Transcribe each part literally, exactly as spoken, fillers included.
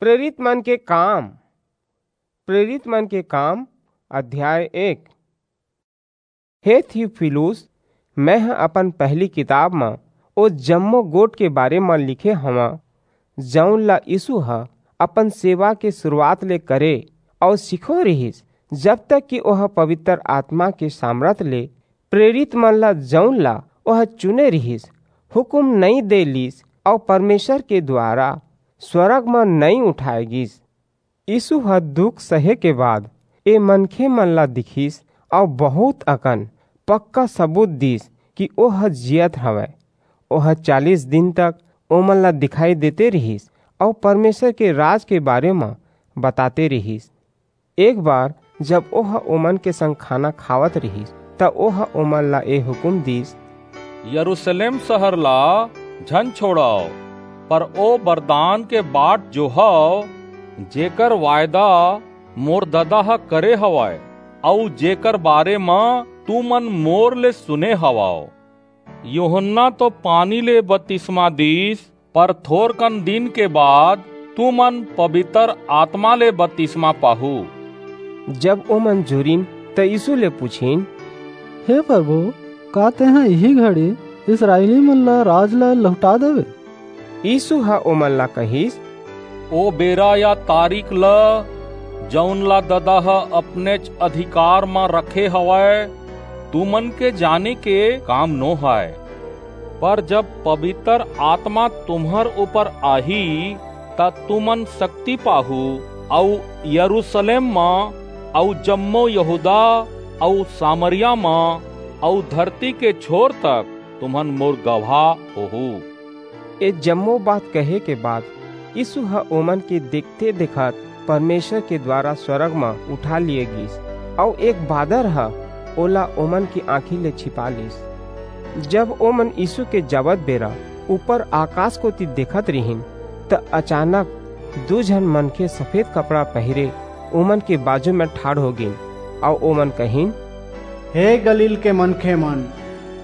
प्रेरित मन के काम, प्रेरित मन के काम, अध्याय एक। हे थियुफिलुस, मैं ह अपन पहली किताब म ओ जम्मो गोठ के बारे म लिखे हवं, जऊन ला यीसू ह अपन सेवा के सुरूवात ले करे अऊ सिखोय रिहिस, जब तक कि ओह पबितर आतमा के सामरथ ले प्रेरित मन ला, जऊन ला ओह चुने रिहिस, हुकूम नइं दे लीस अऊ परमेसर के दुवारा स्वरग म नइं उठाय गीस। यीसू ह दुख सहे के बाद ए मनखे मन ला दिखिस अऊ बहुंत अकन पक्का सबूत दीस कि ओह जीयत हवय। ओह चालीस दिन तक ओमन ला दिखाई देते रिहिस अऊ परमेसर के राज के बारे म बताते रिहिस। एक बार जब ओह ओमन के संग खाना खावत रिहिस, त ओह ओमन ला ए हुकूम दीस, यरूसलेम सहर ला झन छोंड़व, पर ओ बरदान के बाट जोहव, जेकर वायदा मोर ददा ह करे हवय, अऊ जेकर बारे म तुमन मोर ले सुने हवव। यूहन्ना तो पानी ले बतिसमा दीस, पर थोरकन दिन के बाद तुमन पबितर आतमा ले बतिसमा पाहू। जब ओमन जुरिन, त यीसू ले पुछिन, हे परभू, का तेंह इही घड़ी इसरायली मन ला राज ला लहुंटा देबे? यीसू ह ओमन ला कहिस, ओ बेरा या तारीख ल, जऊन ला ददा ह अपनेच अधिकार म रखे हवय, तुमन के जाने के काम नो हय। पर जब पबितर आतमा तुम्हर ऊपर आही, त तुमन सक्ति पाहू, अऊ यरूसलेम म, अऊ जम्मो यहूदा, अऊ सामरिया म, अऊ धरती के छोर तक तुमन मोर गवाह होहू। ए जम्मो बात कहे के बाद यीसू ह ओमन के देखते-देखत परमेसर के दुवारा स्वरग म उठा लिये गीस, अऊ एक बादर ह ओला ओमन के आंखी ले छिपा लीस। जब ओमन यीसू के जावत बेरा ऊपर आकास कोति देखत रिहिन, त अचानक दू झन मनखे सफेद कपड़ा पहिरे ओमन के बाजू म ठाढ़ हो गीन, अऊ ओमन कहिन, हे गलील के मनखे मन,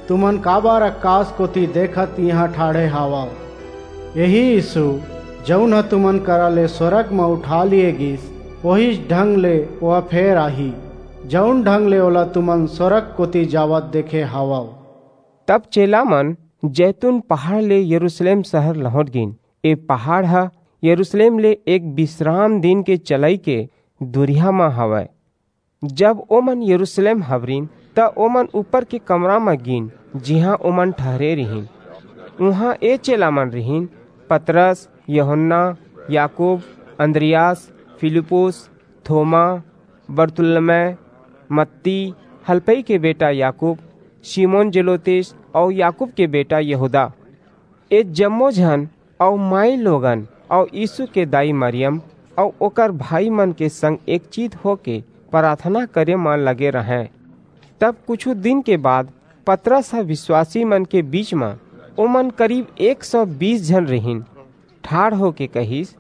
तुमन काबर अकास कोति देखत इहां ठाढ़े हावव? एही यीसू, जऊन ह तुमन करा ले स्वरग म उठा लिये गीस, ओहीच ढंग ले ओह फेर आही, जऊन ढंग ले ओला तुमन स्वरग कोति जावत देखे हावव। तब चेला मन जैतून पहाड़ ले यरूसलेम सहर लहुंट गीन। ए पहाड़ ह यरूसलेम ले एक बिसराम दिन के चलई के दुरिहा म हवय। जब ओमन यरूसलेम हबरिन, त ओमन ऊपर के कमरा म गीन, जिहां ओमन ठहरे रिहिन। उहां ए चेला मन रिहिन, पतरस, यूहन्ना, याकूब, अन्द्रियास, फिलिप्पुस, थोमा, बरतुल्मै, मत्ती, हलफई के बेटा याकूब, सिमोन जेलोतेस अऊ याकूब के बेटा यहूदा। ए जम्मो झन अऊ माईलोगन अऊ यीसू के दाई मरियम अऊ ओकर भाई मन के संग एकचित होके पराथना करे म लगे रहंय। तब कुछू दिन के बाद पतरस ह बिसवासी मन के बीच म, ओमन करीब एक सौ बीस झन रिहिन, ठाढ़ होके कहिस,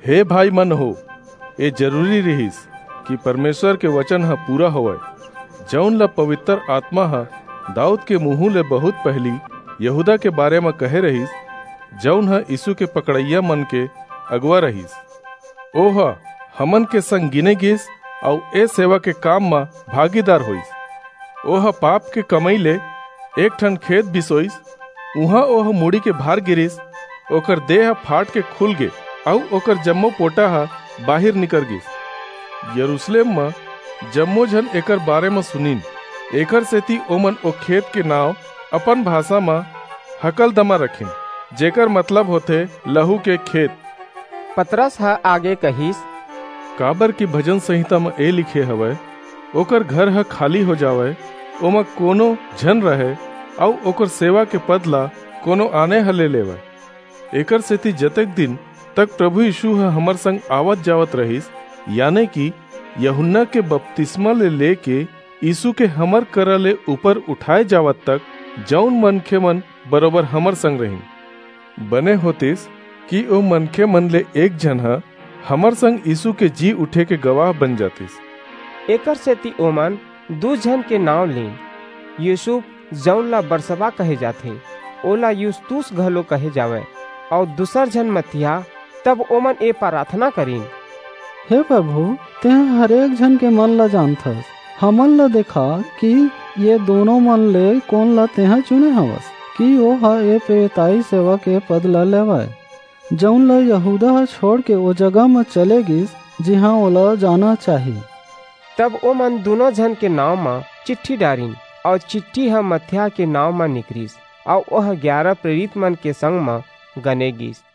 हे भाई मन हो, ए जरूरी रिहिस कि परमेसर के बचन ह पूरा होवय, जऊन ल पबितर आतमा ह दाऊद के मुहूं ले बहुंत पहिली यहूदा के बारे म कहे रिहिस, जऊन ह यीसू के पकड़इया मन के अगुवा रिहिस। ओह हमन के संग गिने गीस अऊ ए सेवा के काम म भागीदार होईस। ओह पाप के कमई ले एक ठन खेत बिसोईस, उहां ओह मुड़ी के भार गिरिस, ओकर देह फाट के खुल गे, अऊ ओकर जम्मो पोटा ह बाहिर निकर गीस। यरूसलेम म जम्मो झन एकर बारे म सुनिन, एकर सेति ओमन ओ खेत के नांव अपन भासा म हकलदमा रखिन, जेकर मतलब होथे लहू के खेत। पतरस ह आगे कहिस, काबर कि भजन संहिता म ए लिखे हवय, ओकर घर ह खाली हो जावय, ओमा कोनो झन रहय, अऊ ओकर सेवा के पद ला कोनो आने ह ले लेवय। एकर सेति जतेक दिन तक प्रभु यीसू ह हमर संग आवत-जावत रहिस, याने कि यूहन्ना के बपतिस्मा ले लेके यीसू के हमर करा ले ऊपर उठाय जावत तक, जऊन मनखे मन बरोबर हमर संग रहिन। बने होतिस कि ओ मनखे मन ले एक झन ह हमर संग यीसू के जी उठे के गवाह बन जातिस। एकर सेति ओमन दू झन के नांव लीन, यूसुफ, जऊन ला बरसबा कहे जाथे, ओला युस्तुस घलो कहे जावय, अऊ दूसर झन मत्तियाह, तब ओमन ए प्रार्थना करिन, "हे प्रभु, तेंह हरेक झन के मन ला जानथस। हमन ला देखा कि ये दोनों मन ले कोन ला तेंह चुने हवस कि ओह ए प्रेरिताई सेवक के पद ला लेवय, जऊन ला यहूदा ह छोड़ के ओ जगह म चले गिस, जिहां ओला जाना चाही।" तब ओमन दूनों झन के नांव म चिट्ठी डारिन, अऊ चिट्ठी ह मत्था के नांव म निकरिस, अऊ ओह ग्यारा प्रेरित मन के संग म गने गिस।